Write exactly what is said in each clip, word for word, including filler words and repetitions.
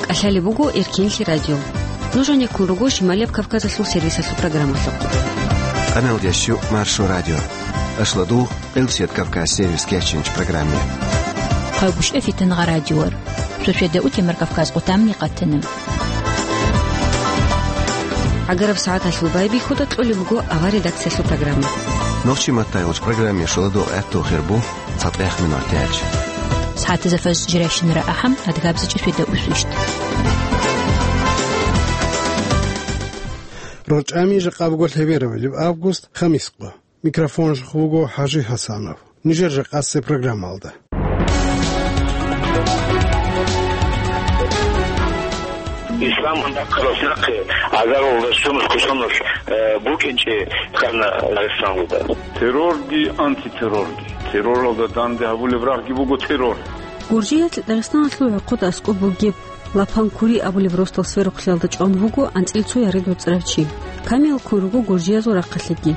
КӀалъалеб буго Эркенлъи радио. Нуж гьанеккун руго Шималияб Кавказалъул сервисалъул программалъухъ. Къаналдящу Маршо радио. Ашладул Къилсият Кавказ сервис кечинч программе. Хъайбушев Фитангъа радиор. Суседа утемар Кавказ къутамни къатана. ГӀагараб сагӀаталъул байбихьуда кьолеб буго авар редакциялъул программа. Нохчи маттайгъуч программе шуладул гӀаттул хирбу. ЦатӀех минутаялъ. СагӀатазда фаз жирайщинара ахӀам, адгабзичӀи светда усвищт. РорчӀами жакъа буго лъеберабилеб август, хамискъо. Микрофонжахъ вуго ХӀажи ХӀасанов. Нижер жакъасеб программалда. Исламан дакъалас нахъе гӀагарал расчунас кусанас, э, букӀинчӀеб хьана Дагъистаналда. Террорги, антитеррорги. Терроралда данде гьабулеб рагъги буго террор. Гуржиялъ Дагъистаналъул гӀорхъода аскӀоб бугеб Лапанкури абулеб росдал сверухълъиялда чӀван вуго анцӀила цо ярид вацӀцӀарав чи. Камилалккун руго гуржиязул рахъалъеги.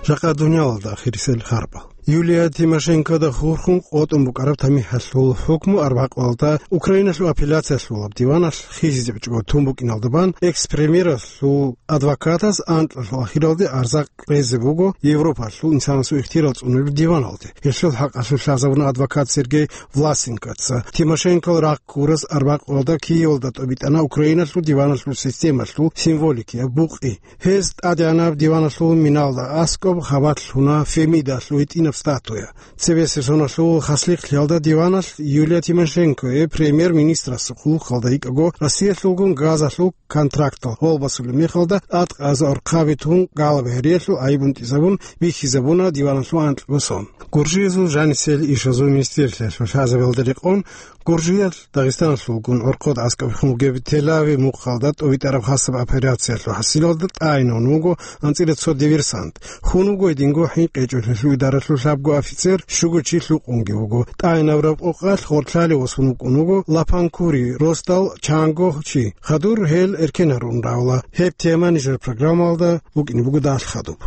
Жакъа дуниялалда ахирисел харбал. Юлия Тимошенкода хурхун къотӀун букӀараб тамихӀалъул хӀукму арбякъуялда Украиналъул апелляциялъулаб диваналъ хисизеб чӀого тун букӀиналда бан экс-премьералъул адвокатас анкьалъул ахиралде арза къезе буго Европалъул инсанасул ихтияр цӀунулеб диваналде. Гьелъул хӀакъалъулъ лъазабуна адвокат Сергей Власенкоца. Тимошенкол рахъ ккурас арбякъуялда Киевалда тӀобитӀана Украиналъул диваналъул системалъул символикияб букъи. Гьез тӀадегӀанаб диваналъул миналда аскӀоб хабалъ лъуна Фемидалъул гьитӀинаб статуя. Цебесеб соналъул хаслихълъиялда диваналъ Юлия Тимошенкое премьер-министрасул хъулухъалда йикӀаго Россиялъулгун газалъул контрактал гъолбасулеб мехалда тӀадкъаза орхъаби тун галаб гьериялъул гӀайиб унтӀизабун бихьизабуна диваналъул анкьго сон. Гуржиязул жанисел ишазул министрлъиялъул лъазабиялда рекъон Гуржиялъ Дагъистаналъулгун гӀорхъод аскӀоб хун бугеб Телави мухъалда тӀобитӀараб хасаб операциялъул хӀасилалда тӀайинавун вуго анцӀила цо диверсант. Хун вуго гьединго ХӀинкъичӀолъиялъул идаралъул лъабго офицер, щуго чи лъукъунги вуго. ТӀайинабураб къокъалъ гъорлъали восун вукӀун вуго Лапанкури росдал чанго чи. Хадур гьел эркен гьарун равла. Гьеб тема нижер программалда букӀине буго далъ хадуб.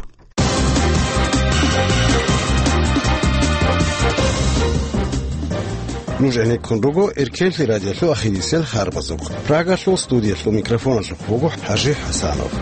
Нуж гӀенеккун руго Эркенлъи радиолъул ахирисел харбазухъ. Прагалъул студиялъул микрофоналъухъ вуго ХӀажи ХӀасанов.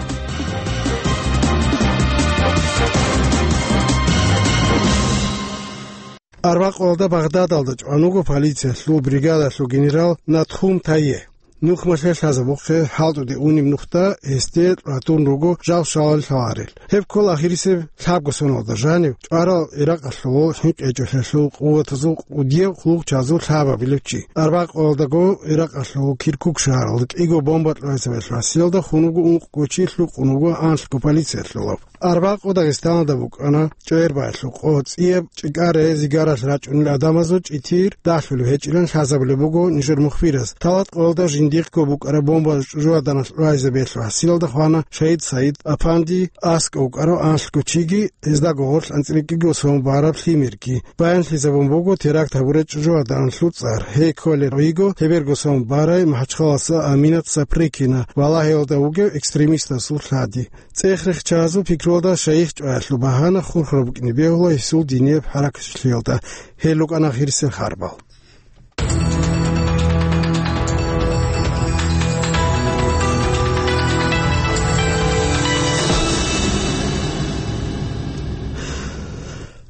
Арбякъуялда Багъдадалда чӀван вуго полициялъул бригадалъул генерал Натхум Тайе. Нухмалъе лъазабухъе хӀалтӀуде унеб нухда гьесде ратун руго жал щвалел лъаларел. Гьеб ккола ахирисеб лъабго соналда жанив чӀварал Иракъалъул ХӀинкъичӀолъиялъул къуватазул кӀудияб хъулухъчазул лъабабилев чи. Арбякъуялдаго Иракъалъул Киркук шагьаралда кӀиго бомба кьвайзабиялъул гьасиялда хун вуго ункъго чи, лъукъун вуго анлъго полициялъулав. Арбякъу Дагъистаналда букӀана чӀвер баялъул къо, цӀияб чӀикӀаре зигаралъ рачӀунел гӀадамазул чӀитир дагьлъулеб гьечӀилан лъазабулеб буго нижер мухбирас. Талат къоялда жиндихъго букӀараб бомба чӀужугьаданалъ кьвайзабиялъул гьасиялда хвана Шагьид Саид Апанди, аскӀов вукӀарав анлъго чиги, гьездаго гъорлъ анцӀила кӀиго сон бараб лъимерги. Баянлъизабун буго теракт гьабурай чӀужугьаданалъул цӀар. Гьей кколел виго лъеберго сон барай МахӀачхъаласа Аминат Сапрыкина ва Лагьиялда вугев экстремистасул лъади. ЦӀех-рехчазул пикруялда шайих чӀваялъул багьана хурхараб букӀине бегьула гьесул динияб хӀаракатчилъиялда. Гьел рукӀана ахирисел харбал.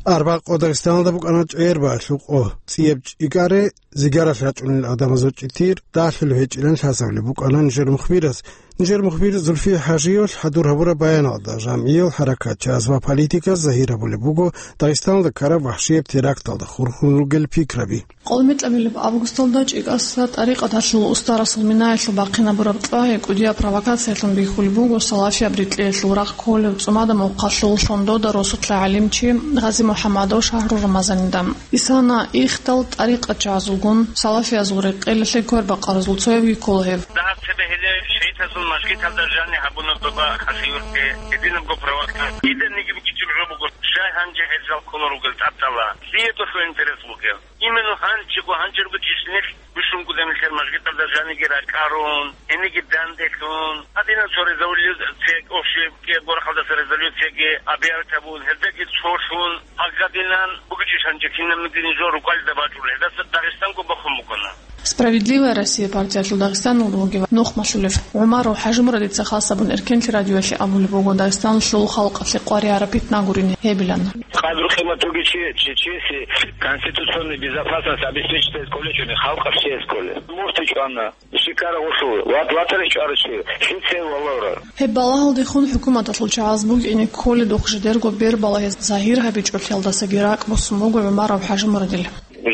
Арбякъу Дагъистаналда букӀана чӀвер баялъул къо, цӀияб чӀикӀаре зигаралъ рачӀунел гӀадамазул чӀитир дагьлъулеб гьечӀилан лъазабулеб букӀана нижер мухбирас. Нижер мухбир Зульфия ХӀажиевалъ хӀадур гьабураб баяналда, жамгӀиял хӀаракатчияз ва политиказ загьир гьабулеб буго Дагъистаналда ккараб вахӀшияб теракталда хурхун ругел пикраби. КъолмитӀабилеб августалда ЧӀикӀаса тӀарикъаталъул устарасул минаялъул бахъинабураб кьвагьи кӀудияб провокациялъун бихьулеб буго салафияб рекьелъул рахъ кколев ЦӀумадамухъалъул Лъондода росулъа гӀалимчи Гъази МухӀаммадов Шагьру Рамазанида. Исана ихдал тӀарикъатчагӀазулгун салафиязул рекъелалъе квербакъаразул цоявги ккола гьев. Дагьаб цебе гьеле шагьидазул мажгиталда жаниб гьабуна доба хасиюртде гьединабго провокация. Киданиги букӀинчӀеб жо буго, щай гьанже гьел жал кколел ругел тӀадала, лъие долъул интерес бугел. Именно гьанчего, гьанчерго числилъ бищунго гьел мажгиталда жаниги ракӀарун, гьениги данделъун, гьадинаб цо резолюция, общий кӀиябго рахъалдаса резолюция Объявить гьабун, гьелдаги цо щун, гьагадинан бугичӀищ гьанже кинабниги нижер рукӀалда бачӀула, гьелдаса Дагъистанго бахун букӀана. «Справедливая Россия» партиялъул Дагъистаналда вугев нухмалъулев ГӀумаров ХӀажимурадица хас гьабун Эркенлъи радиоялъе абулеб буго Дагъистаналъул халкъалъе къваригӀараб питнагурин гьебилан. Кьадру къиматуги чи, чи, чеси конституционный безопасность обеспечить кколечӀони халкъалъ чияс кколе. МуртичӀвана. Шикара гъулъул, ват-, ватарин чӀварав чи, лъицев валавра. Гьеб балагьалдехун хӀукуматалъул чагӀаз букӀине кколедухъ жидерго бер балагьизе загьир гьабичӀолъиялдасаги ракӀ босун буго ГӀумаров ХӀажимурадил.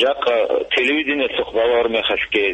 Жакъа телевидениялъухъ балагьур мехалъги,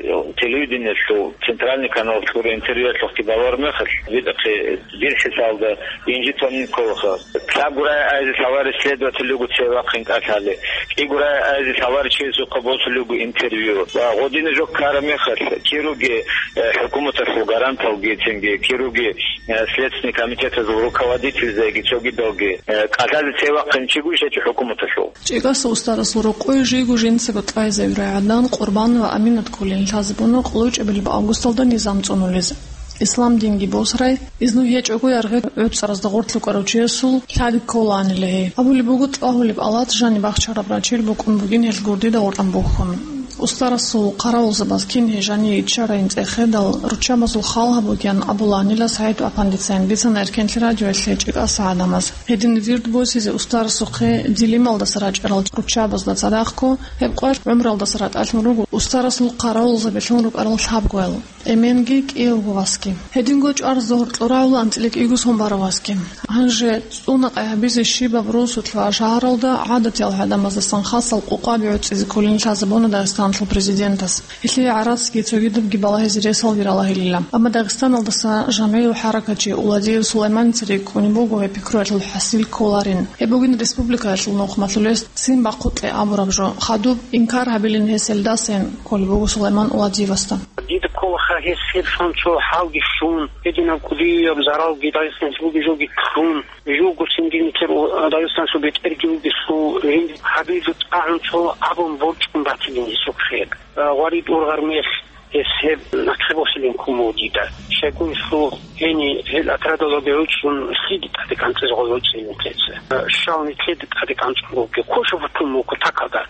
телевидениялъул центральный каналалъ гуреб интервьюялъухъги балагьур мехалъ, видахъе дир хӀисалда инжитанин кколаха. Лъабгурай айзе лъалари следователь руго цевахъин кӀалъали. КӀигурай айзе лъалари чиясухъа босулеб буго интервью. Ва гъодине жо ккараб мехалъ, кируги, э, хӀукуматалъул гаранталги цинги, кируги, э, Следственный комитетазул руководительзайги цогидалги, э, кӀалъазе цевахъин чигу ишачи хӀукуматалъул. ЧӀикӀаса устарасул рокъой жийго жинцаго кьвайзавирай гӀадан Къурбан ва Аминат кколин лъазабуна къуллучӀебилеб августалда низам цӀунулез. Ислам динги босарай, изну гьечӀого яргъи гӀуцӀаразда гъорлъ рукӀарав чиясул лъади кколаанила гьей. Абулеб буго, тӀагьулеб алат жаниб бахчараб рачил букӀун бугин гьел гурдида гъоркьан бухьун. Устарасул хъаравулзабаз кин гьей жаниве иччарайин цӀехедал, руччабазул хал гьабугеян абулаанила СагӀид Апандицайин бицана Эркенлъи радиоялъе ЧӀикӀаса гӀадамаз. Гьедин вирд босизе устарасухъе Дилималдаса рачӀарал руччабазда цадахъго, гьеб къвалъ гӀумралдаса ратӀалъун руго устарасул хъаравулзабилъун рукӀарал лъабгоял. Эменги кӀиявго васги. Гьединго чӀвар-зугьур кьурагӀула анцӀила кӀиго сон барав васги. Гьанже цӀуна къай гьабизе щибаб росулъ ва шагьаралда гӀадатиял гӀадамаздасан хасал къукъаби гӀуцӀизе кколин лъазабуна Дагъистаналъул президентас. Гьелъие гӀарацги цогидабги балагьизе ресалги ралагьилила. Амма Дагъистаналдаса жамгӀиял хӀаракатчи Уладиев Сулайманица рикӀкӀунеб буго гьеб пикруялъул хӀасил кколарин. Гьеб бугин республикаялъул нухмалъулес ццин бахъукье абураб жо. Хадуб инкар гьабилин гьес гьелдасайин кколеб буго Сулайман Уладиевасда. Дида кколаха гьес гьеб шанцо хӀалги щун, гьединаб кӀудияб заралги Дагъистаналъ бугеб жоги ккун, жуго цинги нилъер Дагъистаналъул бетӀерги вугесул, гьин гьабизе тӀагӀун цо абун борчӀун батилин гьесухъе. Гъварид ургъар мех гьес гьеб нахъе босилин ккун буго дида. Щайгурелъул гьениб гьел отрядалдаги гӀуцӀун лъиде тӀаде кӀанцӀизе гъол гӀуцӀи нилъеца. Щал нилъеде тӀаде кӀанцӀун бугеб, кошев вуккун буго такалда.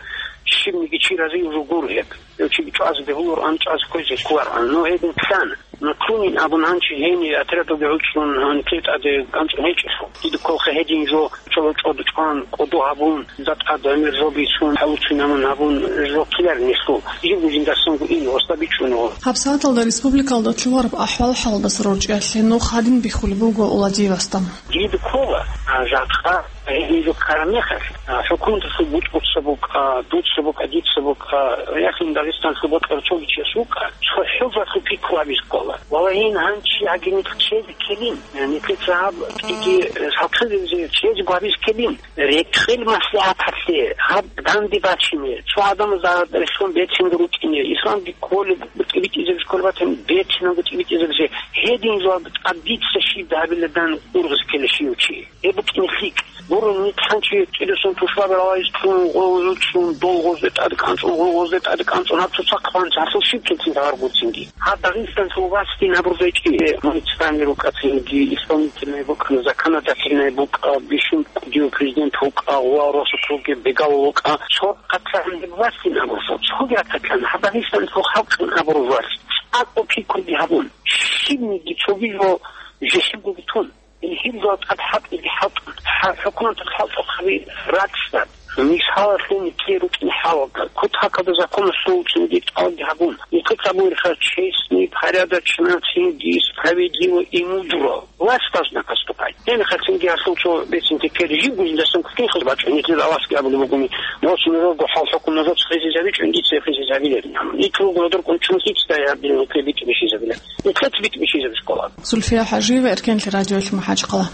Щибниги чи разиюв жо гуро гьеб. Гьев чиги чӀвазе бегьулароан, чӀвазе кквезе кколароан. Ну, гьедин лъана. Ну, лъунин абун гьанчи гьениб отрядалги гӀуцӀун гьаниб тӀаде кӀанцӀун гьечӀелъул. Дида кколаха гьедин жо чӀоло чӀодо чӀван, кӀодо гьабун, затӀад гӀемер жо бицун, хӀалуцин гьамун гьабун жо ккеларин гьелъул. Жибго жиндасанго ин гъосда бичӀчӀуна гъо. ГьабсагӀаталда республикалда лъугьараб ахӀвал-хӀалдаса рорчӀиялъе нух гьадин бихьулеб буго Уладиевасда. Дида ккола, а, жакъа гьедин жо ккараб мехалъ, а, хӀукуматалъул бутӀруца букӀа, дуца букӀа, дица букӀа, яхин Дагъистаналъул бокьарав цоги чияс вукӀа, цо хӀужалъул пикру гьабизе ккола. Валагьин, гьанчи гьагинихъ чезе ккелин, нилъеца гьаб кӀиги, э, сахъизабизе чезе гьабизе ккелин, рекъел маслигӀаталъе гьаб данде бачине, цо гӀадамаз рехсон бецинги рукӀине, исламги кколеб, тӀибитӀизабизе кколеб батани, бецинанго тӀибитӀизабизе, гьедин жо тӀад дица щиб гьабиладан ургъизе ккела щив чи. Гьеб букӀине лъикӀ. Гуро, нилъ гьанчи кӀирусан тушбаби ралайз чӀун, гъо-, гъо-, чӀун, дол гъозде тӀаде кӀанцӀун, гъо-, гъозде тӀаде кӀанцӀун, гьаб цоцахъ ванцӀ гьалъул щиб килцин гьавар гуцинги. Гьаб Дагъистаналъул властин абурзайчӀи, э, муниципальный рукӀа цинги, исполнительный букӀа, законодательный букӀа, бищун кӀудияв президент вукӀа, гъуа росулъ ругеб бегал вукӀа, цо къацагӀан гьеб властин абурзал, цоги ракӀалъан, гьаб Дагъистаналъул халкъин абурзал, цӀакъго пикруги гьабун, щибниги цоги жо жесибгоги тун. Гьел жал тӀад хӀалтӀиги хӀалтӀун, хӀа-, хӀукуматалъ хӀалтӀухъаби рацӀцӀад. Мисалалъе, нилъее рукӀине хӀалалда, кутакалда законалъул цинги тӀалги гьабун, нилъеца абулеб бугоха честный, порядочно, цинги справедливо и мудро. Власть должна поступать. Гьеб мехалъ цинги гьалъул цо бецин текер жибго жиндасан кутакалда бачӀун, нилъеда властги абулеб бугони, нугӀцин нужерго хӀал-хӀукму нужеца хисизабичӀо, дица хисизабилеб. Нилъ руго гьодор кӀунчӀун лъицадай гьабилеб, нилъее битӀи бихьизабилеб. Нилъеца битӀи бихьизабизе ккола. Зульфия ХӀажиева, Эркенлъи радиоялъ, МахӀачхъала.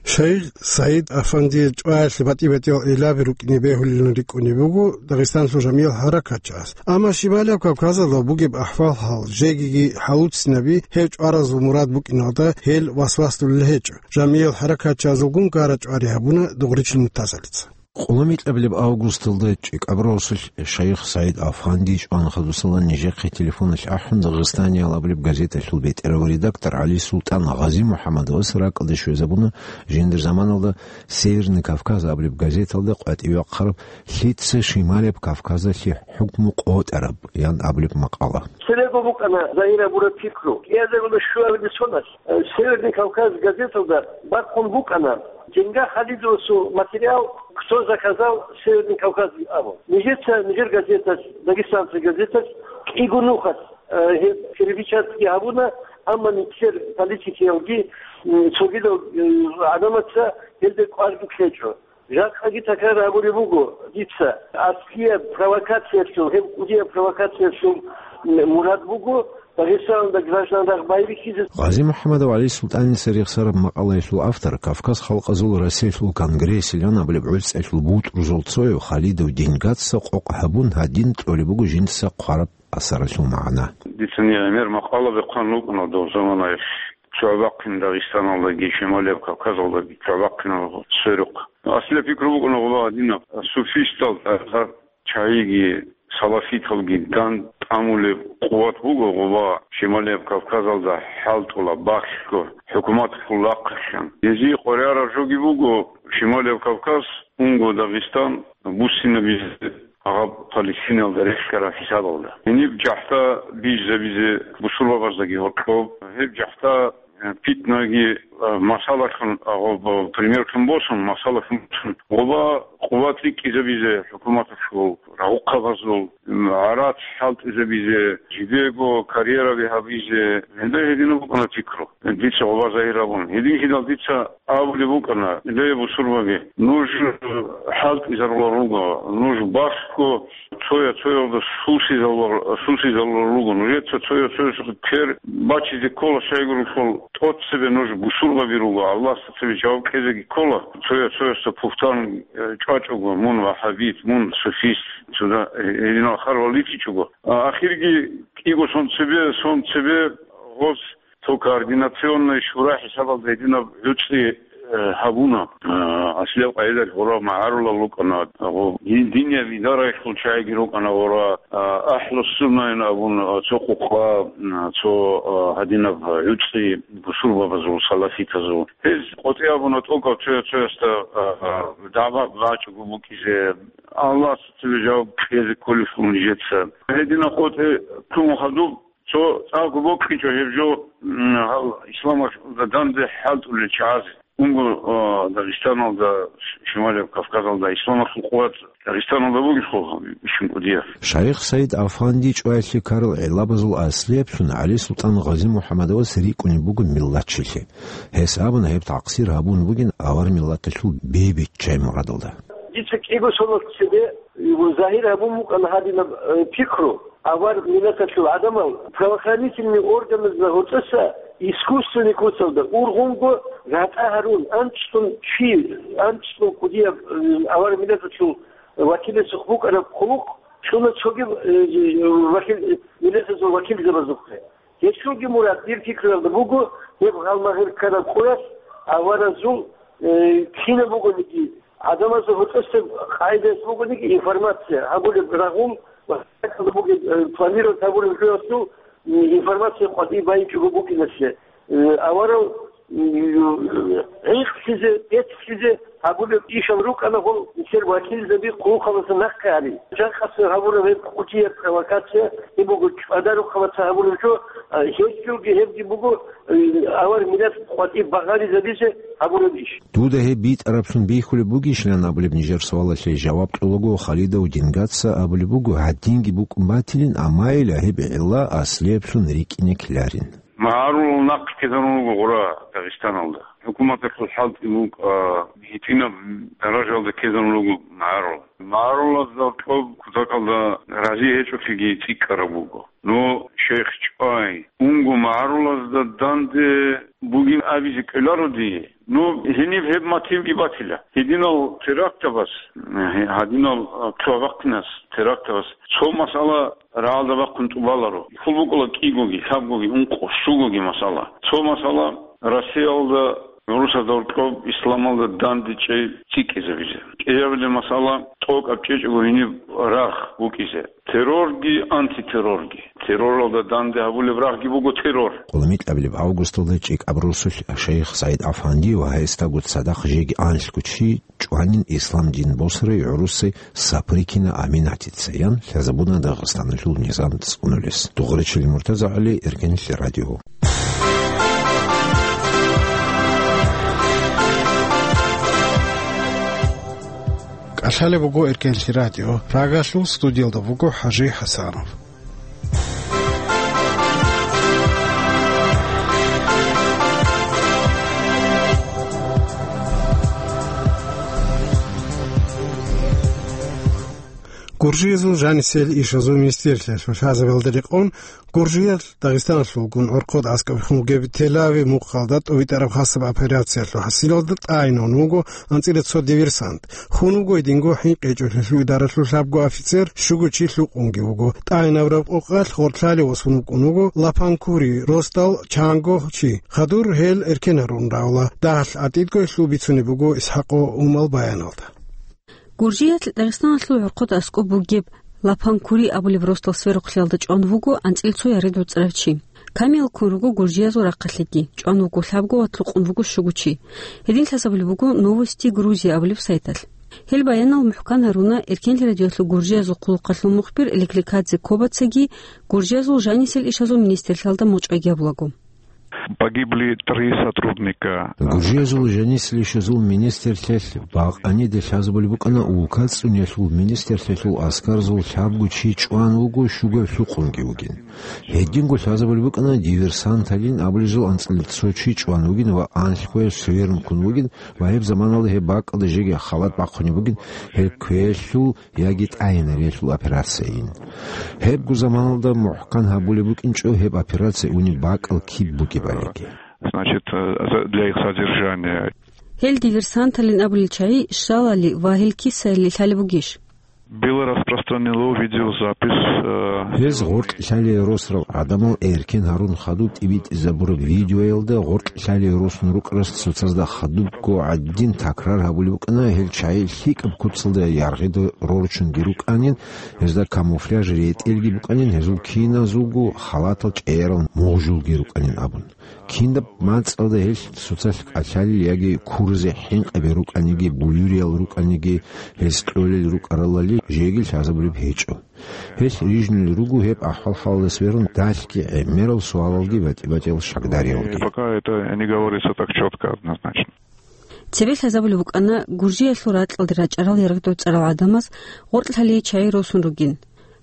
Шайх Саид Афандица чӀваялъе батӀи-батӀиял гӀиллаби рукӀине бегьулилан рикӀкӀунеб буго Дагъистаналъул жамгӀиял хӀаракатчияс. Амма Шималияб Кавказалда бугеб ахӀвал-хӀал жегиги хӀалуццинабиги гьев чӀваразул мурад букӀиналда гьел васвасдулел гьечӀо. ЖамгӀиял хӀаракатчиязулгун гара-чӀвари гьабуна Дугъричил Муртазалица. Къулумикьабилеб августалда ЧӀикӀаб росулъ шайх СагӀид Афанди чӀван хадусала нижехъе телефоналъ ахӀун, Дагъистаниял абулеб газеталъул бетӀерав редактор ГӀали Султан Гъази-МухӀаммадовас ракӀалде щвезабуна жиндир заманалда «Северный Кавказ» абулеб газеталда къватӀивахъараб «Лъица Шималияб Кавказалъе хӀукму къотӀараб» ян абулеб макъала. Церего букӀана загьир гьабураб пикру. КӀиазарила щуабилеб соналъ, э, «Северный Кавказ» газеталда бахъун букӀана, Денга Халидовасул материал «Кто заказал Северный Кавказ» абун. Нижеца, нижер газеталъ, «Дагестанская газеталъ» кӀиго нухалъ, э, гьеб перепечатки гьабуна, амма нилъер политикиялги, м, цогидал, э, гӀадамаца гьелде кӀварги кьечӀо. Жакъаги такрар гьабулеб буго дица, аслияб провокациялъул, гьеб кӀудияб провокациялъул мурад буго Дагъистаналда граждан рагъ байбихьизе. Гъази-МухӀаммадов ГӀали Султаница рехсараб макъалаялъул автор, Кавказ халкъазул Россиялъул конгрессилан абулеб гӀуцӀиялъул бутӀрузул цояв Халидов Дингатца къокъ гьабун гьадин кьолеб буго жинца хъвараб асаралъул магӀна. Дица гӀемер макъала бехъан рукӀана дов заманаялъ. ЦогӀабахъин Дагъистаналдаги, Шималияб Кавказалдаги цогӀабахъинал сверухъ. Аслияб пикру букӀана гъуба гьадинаб: суфистал тӀагӀзар чагӀиги, салафиталги данд тӀамулеб къуват буго гъуба Шималияб Кавказалда хӀалтӀула, бахъго, хӀукуматалъул рахъалъан. Гьезие къваригӀараб жоги буго Шималияб Кавказ унго Дагъистан буссинабизе гьаб Палестиналда рехсараб хӀисабалда. Гьениб жахӀда бижизабизе бусурбабаздаги гьоркьоб, гьеб жахӀда, э, питнаги, э, масалалъун, а, гъоб-, примерлъун босун, масалалъун босун, гъоба къуват рикӀкӀизабизе хӀукуматалъул рагъухъабазул, м, гӀарац хӀалтӀизабизе, жидего карьераби гьабизе, гьелда гьединаб букӀана пикру. Дица гъоба загьир гьабун. Гьединлъидал дица абулеб букӀана: «Ле, бусурбаби, нуж хӀалтӀизарулел руго, нуж бахго цоя-цоялда сусизарулел, сусизарулел руго, нужеца цоя-цоясухъе квер бачизе ккола, щайгурелъул тӀоцебе нуж бусурбаби руго, Аллагьасда цебе жаваб кьезеги ккола, цоя-цоясда пухтан, э, чӀвачӀого, мун ваххабит, мун суфист, цуда, э, гьединал харвал ричичӀого». А, ахирги кӀиго сон цебе, сон цебе гъоз цо координационный шура хӀисабалда гьединаб гӀуцӀи, э, гьабуна. Э, аслияб къайдалъ гъура магӀарулал рукӀана, гъо-, дин-, динияб идараялъул чагӀиги рукӀана гъура, а, ахӀлу-суннайин абун, а, цо къукъа, а, цо, а, гьадинаб гӀуцӀи бусурбабазул, салафитазул. Гьез къотӀи абуна тӀокӀаб цоя-цоясда, а, а, дагӀба бачӀого букӀизе, Аллагьасда цебе жаваб кьезе кколелъул нижеца. Гьединаб къотӀи ккун хадуб, цо цӀакъго бокьичӀо гьеб жо, м, гьал исламалда данде хӀалтӀулел чагӀазе. Унго, а, Дагъистаналда, Шималияб Кавказалда исламалъул къуват Дагъистаналда бугелъул бищун кӀудияб. Шайх СагӀид Афанди чӀваялъе ккарал гӀиллабазул аслияблъун ГӀали Султан Гъази-МухӀаммадовас рикӀкӀунеб буго миллатчилъи. Гьес абуна, гьеб такъсир гьабун бугин авар миллаталъул бебиччай мурадалда. Дица кӀиго соналъ цебе загьир гьабун букӀана гьадинаб, э, пикру. Авар миллаталъул гӀадамал правоохранительный органазда гьоркьоса искусственный куцалда ургъунго ратӀа гьарун, анцӀцӀун чи, анцӀцӀун кӀудияб, э, авар миллаталъул вакиласухъ букӀараб хъулухъ чӀуна цогиб, э, вакил, миллатазул вакилзабазухъе. Гьелъулги мурад, дир пикруялда буго, гьеб гъалмагъир ккараб къоялъ аваразул, э, кинаб бугониги, гӀадамазда гьоркьоса къайдаялъ бугониги информация гьабулеб рагъул ва гьакъалда бугеб, э, планировать гьабураб жоялъул, м, информация къватӀибе байичӀого букӀиналъе, э, аварал, м, гӀинкълъизе, бецлъизе гьабулеб ишал рукӀана гьел нилъер вакилзаби хъулухъалдаса нахъе гьари. Жакъасеб гьабураб гьеб кӀудияб провокация, гьеб буго чӀвадарухъалаца гьабураб жо, а, гьелъулги гьебги буго, э, авар миллат къватӀиб багъаризабизе гьабураб иш. Дуда гьеб битӀарабцун бихьулеб бугищилан абулеб нижер суалалъе жаваб кьолаго Халидов Дингатца абулеб буго, гьадинги букӀун батилин, амма ила гьеб гӀилла аслиябцун рикӀкӀине ккеларин. МагӀарулал нахъ ккезарун руго гъура Дагъистаналда. ХӀукуматалъул хӀалтӀи букӀа, гьитӀинаб даражалда ккезарун руго магӀарул. МагӀарулазда кьоб кутакалда рази гьечӀолъиги цӀикӀкӀараб буго. Ну, шейх чӀвай, унго магӀарулазда данде бугин абизе кӀоларо дие. Ну, гьениб гьеб мотивги батила. Гьединал терактабаз, гьадинал, а, цо бахъинас терактабаз цо масъала рагӀалда бахъун тӀубаларо. Хьул букӀула кӀигоги, лъабгоги, ункъо, щугоги масъала. Цо масъала Россиялда, гӀурусазда гьоркьоб исламалда дандечӀей цӀикӀкӀизабизе. КӀиабилеб масъала тӀокӀаб чӀечӀого гьениб рагъ букӀизе. Террорги, антитеррорги. Терроралда данде гьабулеб рагъги буго террор. Къулмикьабилеб августалда ЧӀикӀаб росулъ шайх СагӀид Афанди ва гьесдаго цадахъ жеги анлъго чи чӀванин ислам дин босарай гӀурусай Сапрыкина Аминатица ян лъазабуна Дагъистаналъул низам цӀунулес. Дугъричил МуртазагӀали, Эркенлъи радио. КӀалъалеб буго Эркенлъи радио. Прагалъул студиялда буго ХӀажи ХӀасанов. Гуржиязул жанисел ишазул министрлъиялъул лъазабиялда рекъон, Гуржиялъ Дагъистаналъулгун гӀорхъад аскӀоб хун бугеб Телави мухъалда тӀубитӀараб хасаб операциялъул хӀасилалда тӀайинавун вуго анцӀила цо диверсант. Хун вуго гьединго ХӀинкъичӀолъиялъул идаралъул лъабго офицер, щуго чи лъукъунги вуго. ТӀайинабураб къокъалъ гъоркьлъалев восун вукӀун вуго Лапанкури росдал чанго чи. Хадур гьел эркен гьарун равла. Дагьалъ гӀатӀидго гьелъул бицунеб буго ИсхӀакъо Умал баяналда. Гуржиялъ Дагъистаналъул гӀорхъад аскӀоб бугеб Лапанкури абулеб росдал сверухълъиялда чӀван вуго анцӀила цо яргъи доцӀарав чи. Камиялккун руго гуржиязул рахъалъеги, чӀван вуго лъабго ва лъукъун вуго щуго чи. Гьедин лъазабулеб буго Новости Грузии абулеб сайталъ. Гьел баянал мухӀкан гьаруна Эркенлъи радиоялъул Гуржиязул хъулухъалъул мухбир Леклекадзе Кобацаги Гуржиязул жанисел ишазул министрлъиялда мугъчӀвайги гьабулаго. Погибли три сотрудника. Гуржиязул жанисел ишазул министрлъиялъ бакъаниде лъазабулеб букӀана улка цӀуниялъул министрлъиялъул аскарзул лъабго чи чӀван вуго, щуго лъукъунги вугин. Гьединго лъазабулеб букӀана диверсанталин абулезул анцӀила цо чи чӀван вугин ва анлъго сверун ккун вугин ва гьеб заманалда гьеб бакӀалда жеги халат бахъунеб бугин гьеб квелъул яги тӀайинариялъул операцияйин. Гьебго заманалда мухӀкан гьабулеб букӀинчӀо гьеб операция унеб бакӀал киб бугебалиги. Значит, э, за-, для их содержания. Гьел диверсанталин абулел чагӀи щалали ва гьел кисайили лъалеб бугищ? Было распространено видеозапись, э, Гьез гъоркь лъалие росарал гӀадамал эркен гьарун хадуб тӀибитӀизабураб видеоялда гъоркь лъалие росун рукӀарас цоцазда хадубго гӀадин такрар гьабулеб букӀана гьел чагӀи лъикӀаб куцалда яргъида рорчунги рукӀанин, гьезда камуфляж ретӀелги букӀанин, гьезул киназулго халатал чӀегӀерал мугъжулги рукӀанин абун. Кинаб мацӀалда гьелъ цоцалъ кӀалъалел яги куразе хӀинкъаби рукӀаниги, буюриял рукӀаниги, гьез кьолел рукӀаралали жеги лъазабулеб гьечӀо. Гьелъ рижунел руго гьеб ахӀвал-хӀалалда сверун далъги гӀемерал суалалги батӀи-батӀиял шагьдариялги. Пока это не говорится так чётко, однозначно. Цебе лъазабулеб букӀана Гуржиялъул ракьалде рачӀарал яргъдоцӀарал гӀадамаз гъоркь лъалие чагӀи росун ругин.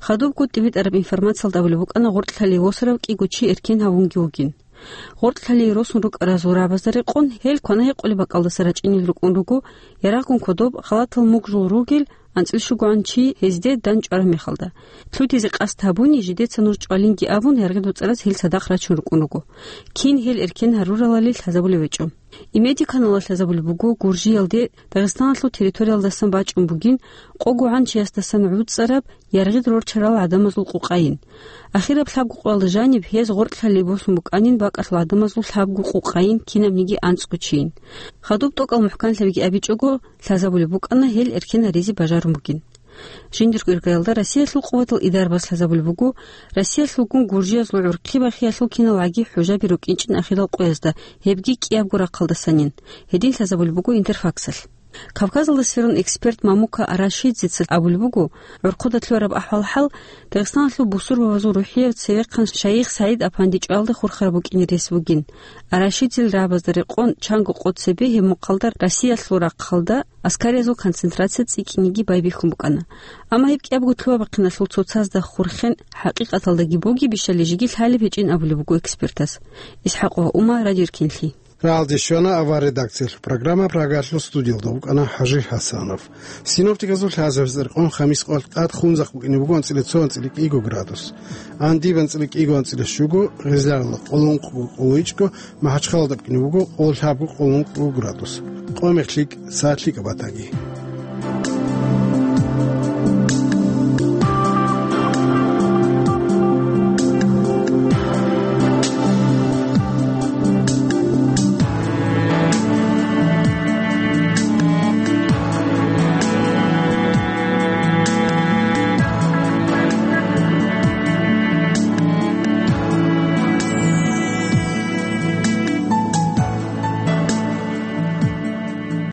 Хадубго тӀибитӀараб информациялда абулеб букӀана гъоркь лъалие восарав кӀиго чи эркен гьавунги вугин. Гъоркь лъалие росун рукӀаразул рагӀабазда рекъон гьел квана-гьекъолеб бакӀалдаса рачӀинел рукӀун руго, ярагъгун кодоб халатал мугъжул ругел анцӀила щугоан чи гьезде дандчӀвараб мехалда. Лъутизе къасд гьабуни, жидеца нуж чӀвалинги абун, яргъи доцӀараз гьел цадахъ рачун рукӀун руго. Кин гьел эркен гьаруралали лъазабулеб гьечӀо. Имеди каналалъ лъазабулеб буго Гуржиялде Дагъистаналъул территориялдасан бачӀун бугин къого гӀанчиясдасан гӀуцӀараб яргъид рорчарал гӀадамазул къукъайин. Ахираб лъабго къоялда жаниб гьез гъоркь лъалие босун букӀанин бакӀалъул гӀадамазул лъабго къукъайин кинабниги анцӀго чийин. Хадуб тӀокӀал мухӀканлъабиги абичӀого, лъазабулеб букӀана гьел эркен гьаризе бажарун бугин. Жиндирго иргаялда Россиялъул къуватал идарабаз лъазабулеб буго, Россиялъулгун гуржиязул гӀурхъи бахиялъул киналгӀаги хӀужаби рукӀинчӀин ахирал къоязда, гьебги кӀиябго рахъалдасанин. Гьедин лъазабулеб буго Интерфаксалъ. Кавказалда сверун эксперт Мамука Арашидзеца абулеб буго, гӀурхъуда лъугӀараб ахӀвал-хӀал Дагъистаналъул бусурбабазул рухӀияв цевехъан шайих СагӀид Апанди чӀвалда хурхараб букӀине рес бугин. Арашидзел рагӀабазда рекъон чанго къо цебе гьеб мухъалда Россиялъул рахъалда аскариязул концентрация цӀикӀкӀинеги байбихьун букӀана. Амма гьеб кӀиябго лъугьа-бахъиналъул цоцазда хурхен хӀакъикъаталдаги бугебищали жеги лъалеб гьечӀин абулеб буго экспертас. ИсхӀакъова Ума, Радио Эркенлъи. Рагьалде щвана авар редакциялъул программа, Прагалъул студиялда вукӀана ХӀажи ХӀасанов. Синоптиказул лъазабиз рекъон хамис къоялъ къад Хунзахъ букӀине буго анцӀила цо, анцӀила кӀиго градус. Гьаниб анцӀила кӀиго, анцӀила щуго, Гъезлагьалда къоло ункъго, къоло ичӀго, МахӀачхъалада букӀине буго къоло лъабго, къоло ункъго градус. Къо мех лъикӀ, сагӀат лъикӀаб батаги.